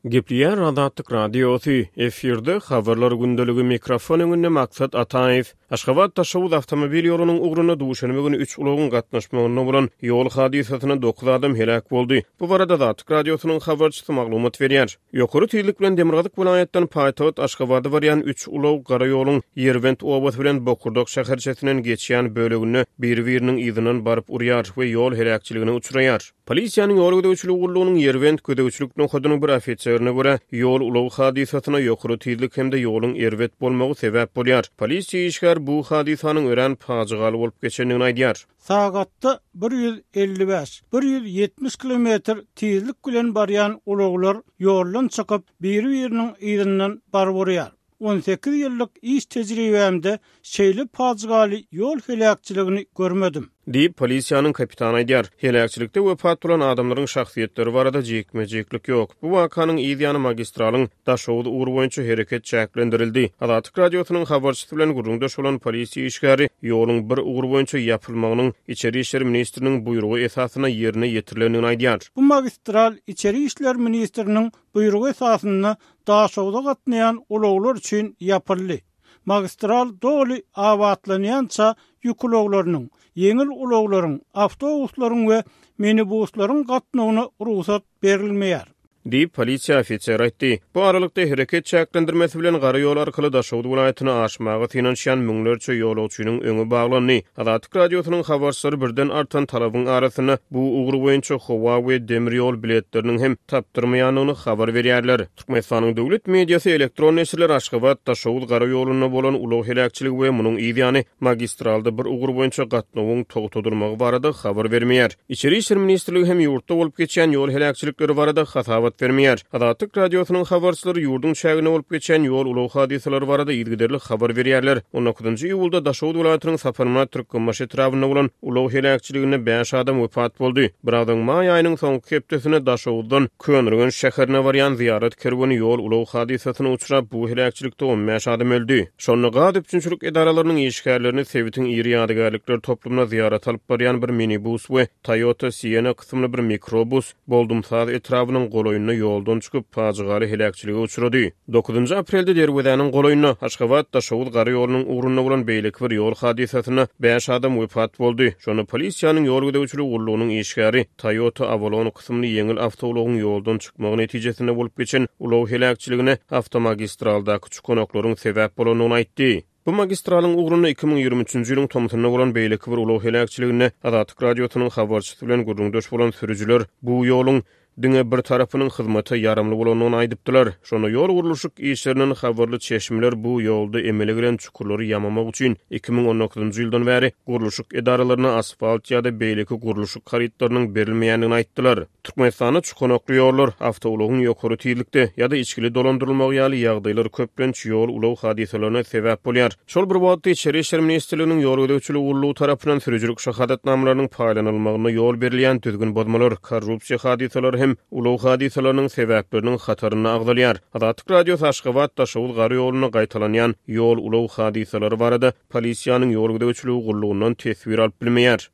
Gepleýär Azatlyk Radiosy, efirde Habarlar gündeligi, mikrofon öňünde Maksat Ataýew. Aşgabat-Daşoguz awtomobil ýolunyň ugrunda duşenbe güni üç ulagyň gatnaşmagynda bolan ýol hadysasynda dokuz adam heläk boldy. Bu barada Azatlyk Radiosynyň habarçysy maglumat berýär. Ýokary tizlik bilen demirgazyk welaýatdan paýtagt Aşgabada barýan üç ulag gara ýoluň Ýerbent obasy bilen Bokurdak şäherçesinden geçýän böleginde biri-biriniň yzyndan baryp urýar we ýol heläkçiligine uçraýar. Polisiýanyň ýol gözegçiligi gullugynyň Ýerbent gözegçilik nokadynyň bir ofiserine görä, ýol-ulag hadysasyna ýokary tizlik hem-de ýoluň erbet bolmagy sebäp bolýar. Polisiýa işgäri bu hadysanyň örän pajygaly bolup geçendigini aýdýar. Sagatda 155, 170 kilometr tizlik bilen barýan ulaglar ýoldan çykyp, biri-biriniň yzyndan baryp urýar. 18 ýyllyk iş tejribämde şeýle pajygaly ýol heläkçiligini görmedim. Diýip, polisiýanyň kapitany aýdýar. Heläkçilikde wepat bolan adamlaryň şahsyýetleri barada jikme-jiklik ýok. Bu wakanyň yz ýany magistralyň Daşoguz ugry boýunça hereket çäklendirildi. Azatlyk Radiosynyň habarçysy bilen gürrüňdeş bolan polisiýa işgäri ýoluň bir ugur boýunça ýapylmagynyň Içeri işler ministriniň buýrugy esasynda ýerine ýetirilendigini aýdýar. Bu magistral Içeri işler ministriniň buýrugy esasynda Daşogza gatnaýan ulaglar üçin ýapyldy. Magistral doly abatlanýança ýük ulaglarynyň, ýeňil ulaglaryň, awtobuslaryň we minibuslaryň gatnawyna rugsat berilmeýär. Diýip, polisiýa ofiseri aýtdy. Bu aralykda, hereket çäklendirmesi bilen gara ýol arkaly Daşoguz welaýatyna aşmaga synanyşýan müňlerçe ýolagçynyň öňi baglandy. Azatlyk Radiosynyň habarçylary birden artan talabyň arasynda bu ugur boýunça howa we demir ýol biletleriniň hem tapdyrmaýandygyny habar berýärler. Türkmenistanyň döwlet mediasy, elektron neşirler Aşgabat, Daşoguz gara ýolunda bolan ulag heläkçiligi we munuň yz ýany magistralda bir ugur boýunça gatnawyň togtadylmagy barada habar bermeýär. Içeri işler ministrligi hem ýurtda bolup geçýän ýol heläkçilikleri barada hasabat bermeýär. Azatlyk Radiosynyň habarçylary ýurduň çäginde bolup geçýän ýol-ulag hadysalary barada yzygiderli habar berýärler. On dokuzynjy iýulda Daşoguz welaýatynyň Saparmyrat Türkmenbaşy etrabynda bolan ulag heläkçiliginde bäş adam wepat boldy. Biraz öň maý aýynyň soňky hepdesinde Daşoguzdan Köneürgenç şäherine barýan zyýarat kerweni ýol-ulag hadysasyna uçrap, bu heläkçilikde 15 adam öldi. Şonda gaz üpjünçilik edaralarynyň işgärlerini sebitiň iri ýadygärlikler toplumyna zyýarata alyp barýan bir minibus we Toyota Sienna kysymly bir mikrobus Boldumsaz etrabynyň golaýynda ýoldan çykyp, pajygaly heläkçilige uçrady. Dokuzynjy aprelde Derwezäniň golaýynda, Aşgabat-Daşoguz gara ýolunyň ugrunda bolan beýleki bir ýol hadysasynda bäş adam wepat boldy. Şonda polisiýanyň ýol gözegçiligi gullugynyň işgäri Toyota Avalon kysymly ýeňil awtoulagyň ýoldan çykmagy netijesinde bolup geçen ulag heläkçiligine awtomagistraldaky çukanaklaryň sebäp bolandygyny aýtdy. Bu magistralyň ugrunda 2023-nji ýylyň tomsunda bolan beýleki bir ulag heläkçiliginde Azatlyk Radiosynyň habarçysy bilen gürrüňdeş bolan sürüjiler bu ýoluň diňe bir tarapynyň hyzmata ýaramly bolandygyny aýdypdylar. Şonda ýol gurluşyk işlerinden habarly çeşmeler bu ýolda emele gelen çukurlary ýamamak üçin 2019-njy ýyldan bäri gurluşyk edaralaryna asfalt ýa-da beýleki gurluşyk harytlarynyň berilmeýändigini aýtdylar. Türkmenistanda çukanakly ýollar, awtoulagyň ýokary tizlikde ýa-da içgili dolandyrylmagy ýaly ýagdaýlar köplenç ýol-ulag hadysalaryna sebäp bolýar. Şol bir wagtda, Içeri işler ministrliginiň Ýol gözegçiligi gullugy tarapyndan sürüjilik şahadatnamalarynyň paýlanylmagynda ýol berilýän düzgün bozmalar, korrupsiýa hadysalary hem ulag hadysalarynyň sebäpleriniň hatarynda agzalýar. Azatlyk Radiosy Aşgabat, Daşoguz gara ýolunda gaýtalanýan ýol-ulag hadysalary barada polisiýanyň Ýol gözegçiligi gullugyndan teswir alyp bilmeýär.